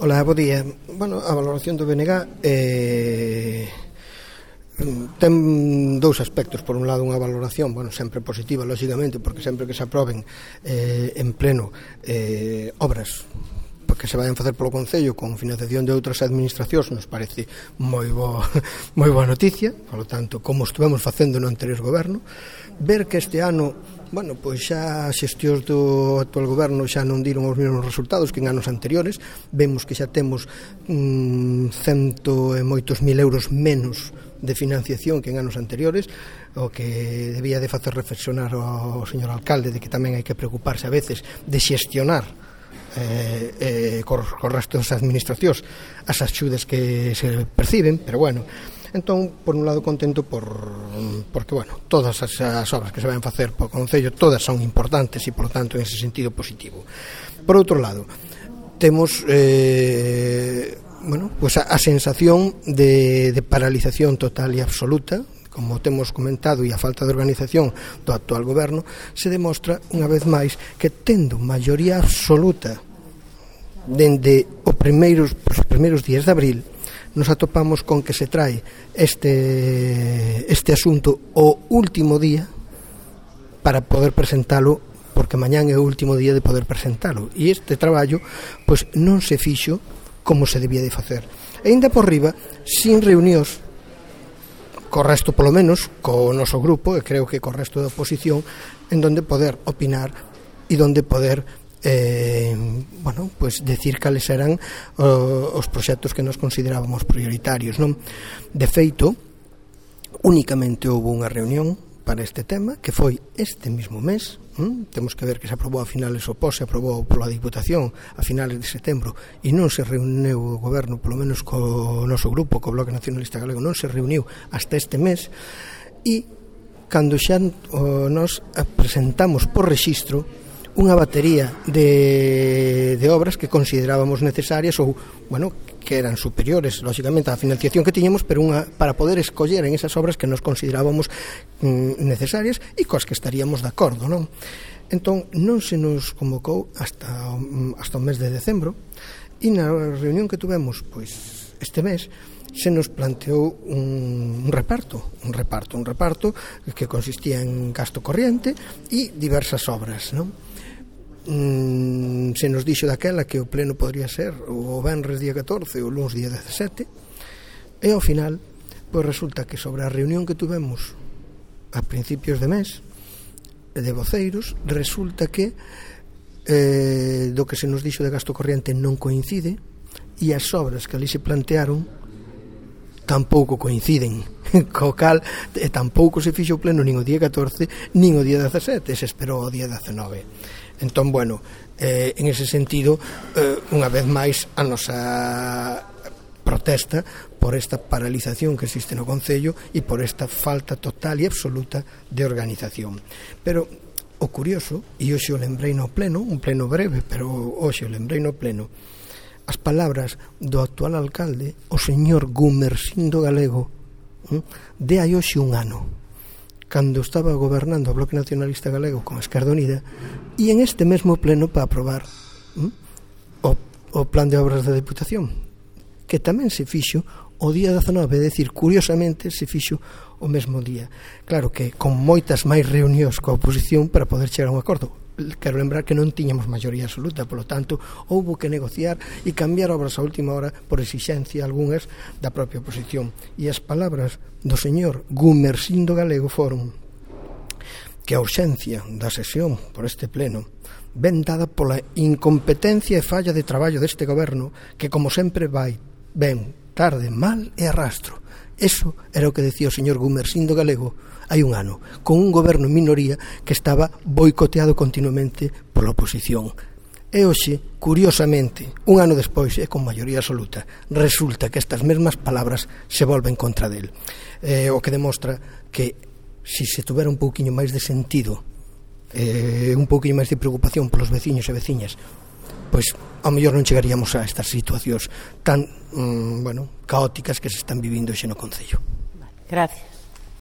Ola, bo día. Bueno, a valoración do BNG ten dous aspectos. Por un lado, unha valoración, sempre positiva, lógicamente, porque sempre que se aproben en pleno obras que se vayan facer polo Concello con financiación de outras administracións, nos parece moi boa noticia. Por lo tanto, como estuvemos facendo no anterior goberno, ver que este ano, pois xa as xestións do actual goberno xa non diron os mesmos resultados que en anos anteriores. Vemos que xa temos cento e moitos mil euros menos de financiación que en anos anteriores, o que debía de facer reflexionar ao señor alcalde de que tamén hai que preocuparse a veces de xestionar co resto das administracións as axudas que se perciben. Pero entón, por un lado, contento porque, todas as obras que se van facer por Concello, todas son importantes e, por lo tanto, en ese sentido positivo. Por outro lado, temos a sensación de paralización total e absoluta. Como temos comentado, e a falta de organización do actual goberno se demostra unha vez máis que, tendo maioría absoluta dende os primeiros días de abril, nos atopamos con que se trae este asunto o último día para poder presentalo, porque mañán é o último día de poder presentalo, e este traballo non se fixo como se debía de facer, e ainda por riba sin reunións co resto, polo menos co noso grupo, e creo que co resto da oposición, en donde poder opinar e donde poder decir cales eran os proxectos que nos considerábamos prioritarios, non? De feito, únicamente houve unha reunión para este tema, que foi este mismo mes. Temos que ver que se aprobou a finales, o POS se aprobou pola Diputación a finales de setembro, e non se reuniu o goberno, polo menos co noso grupo, co Bloque Nacionalista Galego, non se reuniu hasta este mes. E cando xa nos presentamos por rexistro unha batería de obras que considerábamos necesarias, ou, que eran superiores, lógicamente, á financiación que tiñamos, pero para poder escoller en esas obras que nos considerábamos necesarias e coas que estaríamos de acordo, non? Entón, non se nos convocou hasta o mes de decembro, e na reunión que tuvemos este mes se nos planteou un reparto que consistía en gasto corriente e diversas obras, non? Se nos dixo daquela que o pleno podría ser o venres día 14 ou o luns día 17, e ao final resulta que sobre a reunión que tuvemos a principios de mes de voceiros, resulta que do que se nos dixo de gasto corriente non coincide, e as obras que ali se plantearon tampouco coinciden, co cal tampouco se fixo o pleno nin o día 14 nin o día 17, se esperou o día 19. Entón, en ese sentido, unha vez máis, a nosa protesta por esta paralización que existe no Concello e por esta falta total e absoluta de organización. Pero o curioso, e hoxe o lembrei no pleno, un pleno breve, pero hoxe o lembrei no pleno, as palabras do actual alcalde, o señor Gumersindo Galego, de hai hoxe un ano, cando estaba gobernando o Bloque Nacionalista Galego con a Esquerda Unida, e en este mesmo pleno para aprobar o plan de obras da Diputación, que tamén se fixo o día 19, é dicir, curiosamente se fixo o mesmo día. Claro que con moitas máis reunións coa oposición para poder chegar a un acordo. Quero lembrar que non tiñamos maioría absoluta, polo tanto, houbo que negociar e cambiar obras a última hora por exixencia algunhas da propia oposición. E as palabras do señor Gumersindo Galego foron que a ausencia da sesión por este pleno ven dada pola incompetencia e falla de traballo deste goberno, que, como sempre, ven tarde, mal e arrastro. Eso era o que decía o señor Gumersindo Galego hai un ano, con un goberno en minoría que estaba boicoteado continuamente pola oposición. E hoxe, curiosamente, un ano despois e con maioría absoluta, resulta que estas mesmas palabras se volven contra del. O que demostra que se tuvera un pouquiño máis de sentido, un pouquiño máis de preocupación polos veciños e veciñas, pois ao mellor non chegaríamos a estas situacións tan caóticas que se están vivindo hoxe no Concello. Gracias.